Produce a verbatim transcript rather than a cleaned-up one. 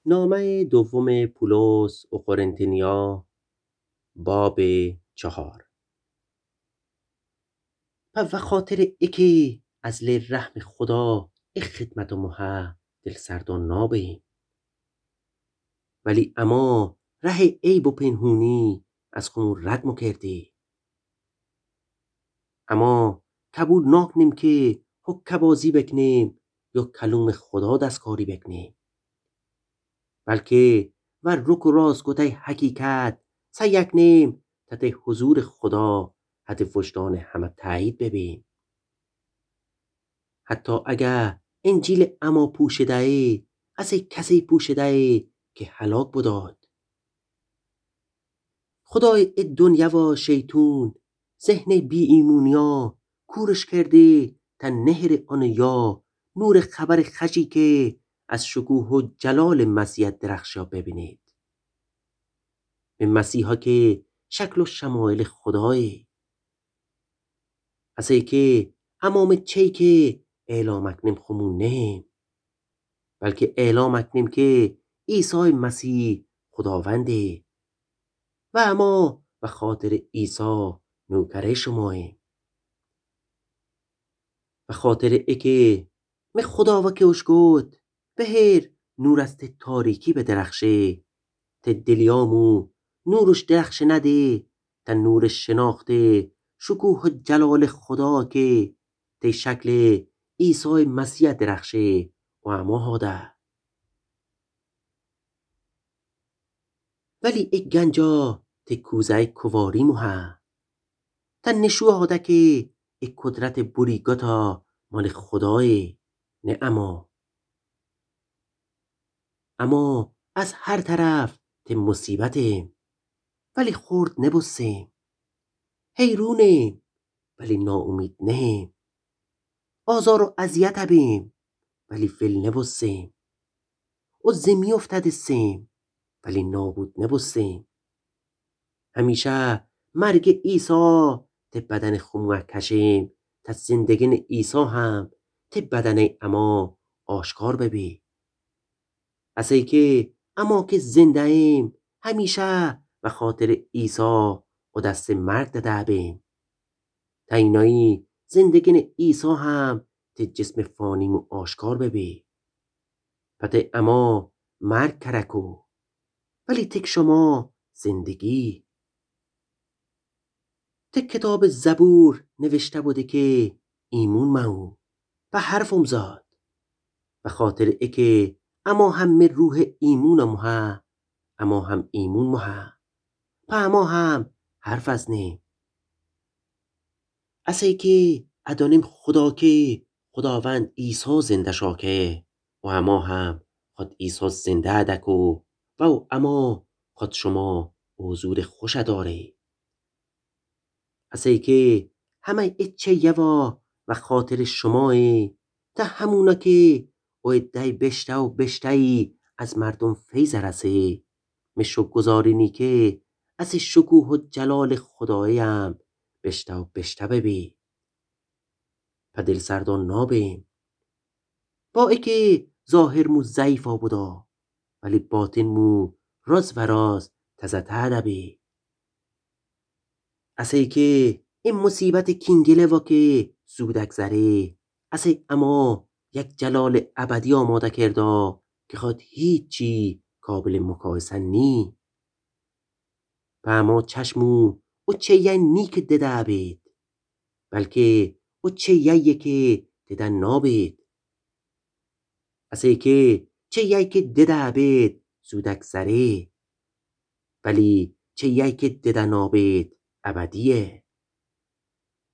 نامهٔ دومٚ پولس و قرنطینیا، بابٚ چهار. پس وخاطرٚ ایکه از لی رحمٚ خودا ای خدمتٚ مو ها دلسردأن نابیم، ولی اما رهٚ عیب و پنهونی از خو رد مو کردیم. اما قبول ناکنیم که هوکه‌بازی بکنیم یا کلومٚ خودا دستکاری بکنیم، بلکه ور رک و راست گوته حقیقت سعی کنیم تا ده حضورٚ خودا حدٚ وجدانٚ همه تأیید ببیم. حتی اگه انجیلٚ اما پوشده‌یی، اسه کسی پوشده‌یی که هلاک بداد. خدایٚ ای دنیا و شیطون ذهنٚ بی‌ایمونیا کورش کرده تا نهره اونٚ یا نورٚ خبرٚ خوشی که از شکوه و جلالٚ مسیح درخشا ببینید. به مسیحا که شکل و شمایلٚ خدایه. اسه که اما مه چی که اعلام اکنیم خو مو نهیم، بلکه اعلام اکنیم که عیسی مسیح خداونده و اما بخاطرٚ عیسی نوکرٚ شماییم. بخاطرٚ ایکه مه خودا وکه اوش گود: بهر نور از ته تاریکی بدرخشه، ته دلیا مو نور اوش درخشنده، تا نورٚ شناخته شکوه و جلالٚ خودا که ته شکلٚ عیسی مسیح درخشه و اما هاده. ولی ای گنجا ته کوزه‌یٚ کواری مو ها، تا نشو هاده که ای قدرتٚ بوری گتا مالٚ خدایه، نه اما. اما از هر طرف ته مصیبتیم، ولی خورد نبوستیم. حیرونیم، ولی ناامید نهیم. آزار و اذیت بیم، ولی ول نبوستیم. و زمی افتدستیم، ولی نابود نبوستیم. همیشه مرگٚ عیسی ته بدنٚ خو مو کشیم، تا زندگینٚ عیسی هم ته بدنٚ اما آشکار ببی. اسه که اما که زنده‌ییم، همیشه بخاطرٚ عیسی و دستٚ مرگ دده بیم، تا اینایی زندگینٚ عیسی هم ته جسمٚ فانی مو آشکار ببی. پته اما مرگ کرکو، ولی تک شما زندگی. ته کتابٚ زبور نوشته بوده که ایمون مو، و حرفم زاد. بخاطرٚ ایکه اما هم مه روحٚ ایمون مو ها، اما هم ایمون مو ها، په اما هم حرف ازنیم. اسه که ادانیم خودا که خداوند عیسی زنده شاکه و اما هم خود عیسی زنده دکو و او اما خود شما حضورٚ خوش داره. اسه که همه ایچه یوا بخاطرٚ شمایه، تا همونا که او عده‌یٚ بشته و بشته‌یی از مردم فیض رسه، مه شوکرگزاری نی که اسه شکوه و جلالٚ خدایه هم بشته و بشته ببی. په دلسردان نابیم. با ایکه ظاهر مو ضعیفا بودا، ولی باطن مو راز و راز تزه‌تر دبی. اسه که ای مصیبتٚ کینگله وا که زود اگذره، اسه اما یک جلالٚ ابدی آماده کردا که خود هیچی قابلٚ مقایسه نی. په اما چشم او چیی نی که دده بید، بلکه او چیی که دده نابید. اسه که چیی که دده بید زود اگذره، ولی چیی که دده نابید ابدیه.